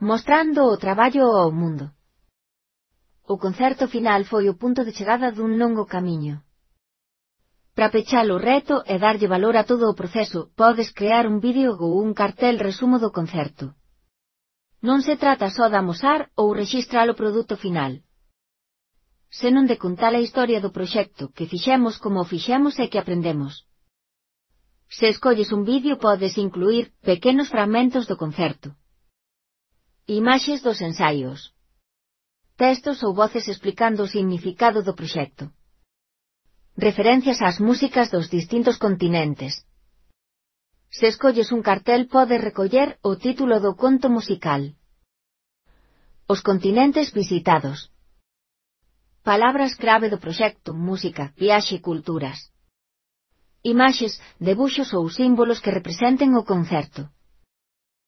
mostrando o traballo ao mundo. O concerto final foi o punto de chegada dun longo camiño. Para pechar o reto e darlle valor a todo o proceso, podes crear un vídeo ou un cartel resumo do concerto. Non se trata só de amosar ou rexistrar o produto final, senón de contar a historia do proxecto, que fixemos como o fixemos e que aprendemos. Se escolles un vídeo podes incluir pequenos fragmentos do concerto, imaxes dos ensaios, textos ou voces explicando o significado do proxecto, referencias ás músicas dos distintos continentes. Se escolles un cartel podes recoller o título do conto musical, os continentes visitados, palabras clave do proxecto, música, viaxe e culturas, imaxes, debuxos ou símbolos que representen o concerto.